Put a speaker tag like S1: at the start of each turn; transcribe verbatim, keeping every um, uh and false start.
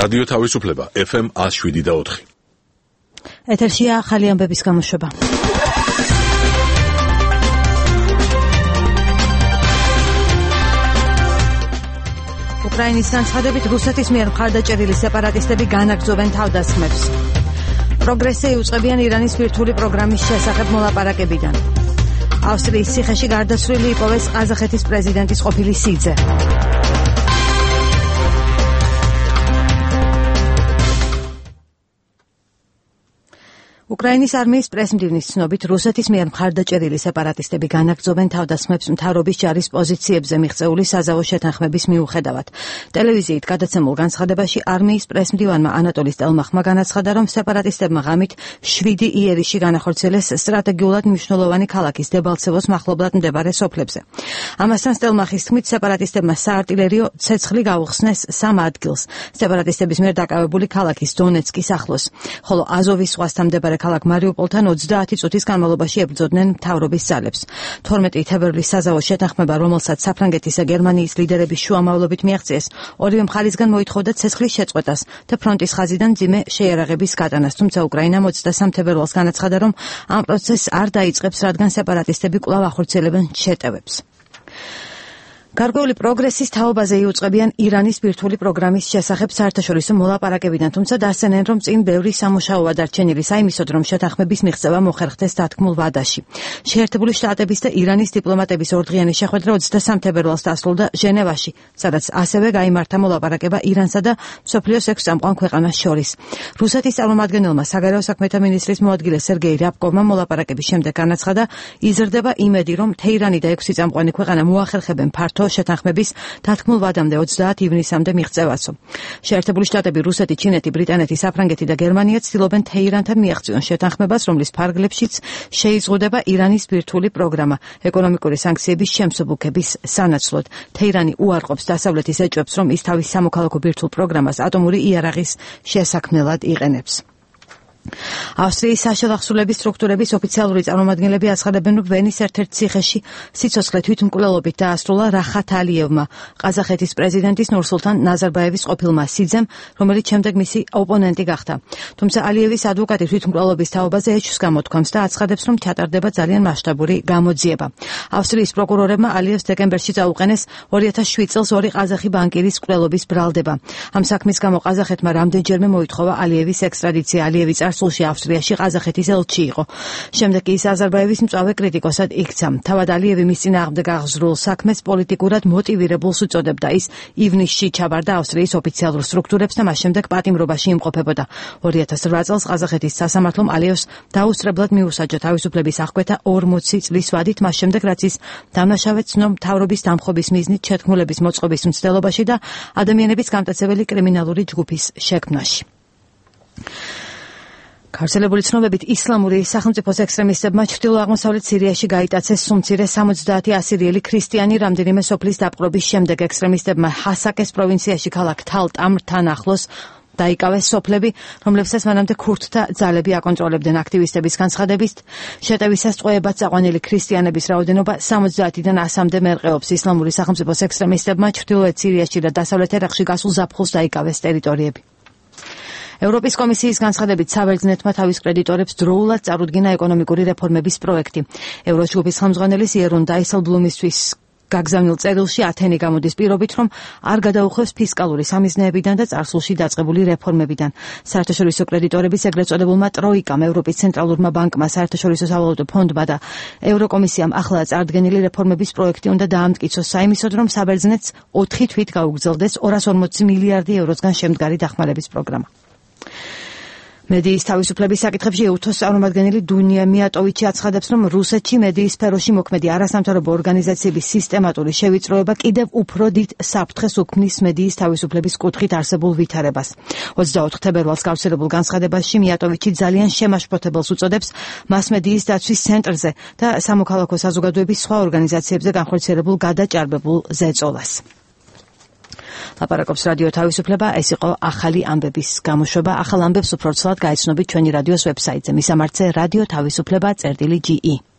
S1: რადიო თავისუფლება ეფ ემ ათს შვიდი და ოთხი.
S2: ეთერშია ახალი ამბების გამოშვება. უკრაინის განცხადებით რუსეთის მიერ მხარდაჭერილი სეპარატისტები განაგრძობენ თავდასხმებს. პროგრესი იუწყებიან ირანის ბირთვული პროგრამის შესახებ მოლაპარაკებიდან. ავსტრიის ციხეში გარდაცვლილი იპოვეს ყაზახეთის პრეზიდენტის ყოფილი სიძე. უკრაინის არმიის პრესმდივნის ცნობით რუსეთის მიერ მხარდაჭერილი სეპარატისტები განაგრძობენ თავდასხმებს მთავრობის ჯარის პოზიციებზე მიღწეული საზავო შეთანხმების მიუხედავად. ტელევიზიით გადაცემულ განცხადებაში არმიის პრესმდივანმა ანატოლი სტელმახმა განაცხადა, რომ სეპარატისტებმა ღამით შვიდი იერიში განახორციელეს სტრატეგიულად მნიშვნელოვანი ქალაქის დებალცევოს მახლობლად მდებარე სოფლებზე. ამასთან სტელმახის თქმით, სეპარატისტებმა საარტილერიო ცეცხლი გაუხსნეს სამ ადგილს სეპარატისტების მიერ დაკავებული ქალაქის დონეცკის ახლოს, ხოლო აზოვის ზღვასთან მდებარე ქალაქ მარიუპოლთან ოცდაათი წუთის განმავლობაში ებრძოდნენ მთავრობის ძალებს. თორმეტი თებერვლის საზავო შეთანხმება, რომელსაც საფრანგეთის და გერმანიის ლიდერების შუამავლობით მიაღწიეს, ორივე მხარისგან მოითხოვდა ცეცხლის შეწყვეტას და ფრონტის ხაზიდან მძიმე შეიარაღების გატანას, თუმცა უკრაინამ ოცდასამ თებერვალს განაცხადა, რომ ამ პროცესს არ დაიწყებს, რადგან სეპარატისტები კვლავ ახორციელებენ შეტევებს. გარკვეული პროგრესის თაობაზე იუწყებიან ირანის ბირთვული პროგრამის შესახებ საერთაშორისო მოლაპარაკებიდან, თუმცა დასცენენ, რომ წინ ბევრი სამუშაოა დარჩენილი საიმისოდ, რომ შეთანხმების მიღწევა მოხერხდეს დათქმულ ვადაში. შეერთებული შტატების და ირანის დიპლომატების ორდღიანი შეხვედრა ოცდასამ თებერვალს დასრულდა ჟენევაში, სადაც ასევე გაიმართა მოლაპარაკება ირანსა და მსოფლიოს ექვს წამყვან ქვეყანას შორის. რუსეთის წარმომადგენელმა საგარეო საქმეთა მინისტრის მოადგილე სერგეი რябკოვმა მოლაპარაკების შემდეგ განაცხადა, იზრდება იმედი, რომ თეირანი და ექვსი წამყვანი ქვეყანა მოახერხებენ ფართო შეთანხმების დათქმულ ვადამდე ოცდაათი ივნისამდე მიღწევასო. შეერთებული შტატები, რუსეთი, ჩინეთი, ბრიტანეთი, საფრანგეთი და გერმანია ცდილობენ თეირანთან მიაღწიონ შეთანხმებას, რომლის ფარგლებშიც შეიზღუდება ირანის ბირთვული პროგრამა ეკონომიკური სანქციების შემსუბუქების სანაცვლოდ. თეირანი უარყოფს დასავლეთის ეჭვებს, რომ ის თავის სამოქალაქო ბირთვულ პროგრამას ატომური იარაღის შესაქმნელად იყენებს. ავსტრიის საშელახსულების სტრუქტურების ოფიციალური წარმომადგენლები აცხადებენ, რომ ვენის ერთ-ერთ ციხეში სიცოცხლე თვითმკვლელობით დაასრულა რახათ ალიევმა, ყაზახეთის პრეზიდენტის ნურსულთან ნაზარბაევის ყოფილმა სიძემ, რომელიც შემდეგ მისი ოპონენტი გახდა. თუმცა ალიევის ადვოკატი თვითმკვლელობის თაობაზე ეჭვს გამოთქვამს და აცხადებს, რომ ჩატარდება ძალიან მასშტაბური გამოძიება. ავსტრიის პროკურორებმა ალიევს დეკემბერში წაუყენეს ორი ათას შვიდ წელს ორი ყაზახი ბანკირის მკვლელობის ბრალდება. ამ საქმის გამო ყაზახეთმა რამდენჯერმე მოითხოვა ალიევის ექსტრადიცია. ალიევი სულში ავსტრიაში ყაზახეთის ელჩი იყო. შემდეგ კი ის აზერბაიჯანის მწვავე კრიტიკოსად იქცა. თავად ალიევი მის წინააღმდეგ აღზრულ საქმეს პოლიტიკურად მოტივირებულს უწოდებდა. ის ივნისში ჩაბარდა ავსტრიის ოფიციალურ სტრუქტურებს და მას შემდეგ პატიმრობაში იმყოფებოდა. ორი ათას რვა წელს ყაზახეთის სასამართლომ ალიევს დაუსწრებლად მიუსაჯა თავისუფლების აღკვეთა ორმოცი წლის ვადით, მას შემდეგ რაც ის დამნაშავე ცნო მთავრობის დამხობის მიზნით შეთქმულების მოწყობის მცდელობაში და ადამიანების გამტაცებელი კრიმინალური ჯგუფის შექმნაში. გავრცელებული ცნობებით ისლამური სახელმწიფოს ექსტრემისტებმა ჩრდილო-აღმოსავლეთ სირიაში გაიტაცეს სუმცირე სამოცდაათი ასირიელი ქრისტიანი რამდენიმე სოფლის დაპყრობის შემდეგ. ექსტრემისტებმა ჰასაკეს პროვინციაში ქალაქ თალ-ტამრთან ახლოს დაიკავეს სოფლები, რომლებსაც მანამდე ქურთთა ძალები აკონტროლებდნენ. აქტივისტების განცხადებით, შეტევისას წყვეებად წაყვანილი ქრისტიანების რაოდენობა სამოცდაათიდან ასამდე მერყეობს. ისლამური სახელმწიფოს ექსტრემისტებმა ჩრდილოეთ სირიაში და დასავლეთ ერაყში გასულ ზაფხულს დაიკავეს ტერიტორიები. ევროპის კომისიის განცხადებით, საბერძნეთმა თავის კრედიტორებს დროულად წარუდგინა ეკონომიკური რეფორმების პროექტი. ევროჯგუფის ხელმძღვანელის იერონ დაისელბლუმისთვის გაგზავნილ წერილში ათენი გამოდის პირობით, რომ არ გადაუხვევს ფისკალური სამიზნეებიდან და წარსულში დაწყებული რეფორმებიდან. საერთაშორისო კრედიტორების ეგრეთ წოდებულმა ტროიკამ, ევროპის ცენტრალურმა ბანკმა, საერთაშორისო სავალუტო ფონდმა და ევროკომისიამ ახლა წარდგენილი რეფორმების პროექტი უნდა დაამტკიცოს საიმისოდ, რომ საბერძნეთს ოთხი თვით გაუგრძელდეს ორას ორმოცი მილიარდი ევროსგან შემდგარი დახმარების პროგრამა. მედიის თავისუფლების საკითხებში ეუთოს წარმომადგენელი დუნია მიატოვიჩი აცხადებს, რომ რუსეთში მედიის სფეროში მოქმედი არასამთავრობო ორგანიზაციების სისტემატური შევიწროება კიდევ უფრო დიდ საფრთხეს უქმნის მედიის თავისუფლების კუთხით არსებულ ვითარებას. ოცდაოთხ თებერვალს გავრცელებულ განცხადებაში მიატოვიჩი ძალიან შემაშფოთებელს უწოდებს მასმედიის დაცვის ცენტრზე და სამოქალაქო საზოგადოების სხვა ორგანიზაციებზე განხორციელებულ გადაჭარბებულ ზეწოლას. ლაპარაკობს რადიო თავისუფლება, ეს იყო ახალი ამბების გამოშვება. ახალ ამბებს უფრო ცალად გაიცნობთ ჩვენი რადიოს ვებსაიტზე. მისამართზე რადიო თავისუფლება წერტილი ჯი ი.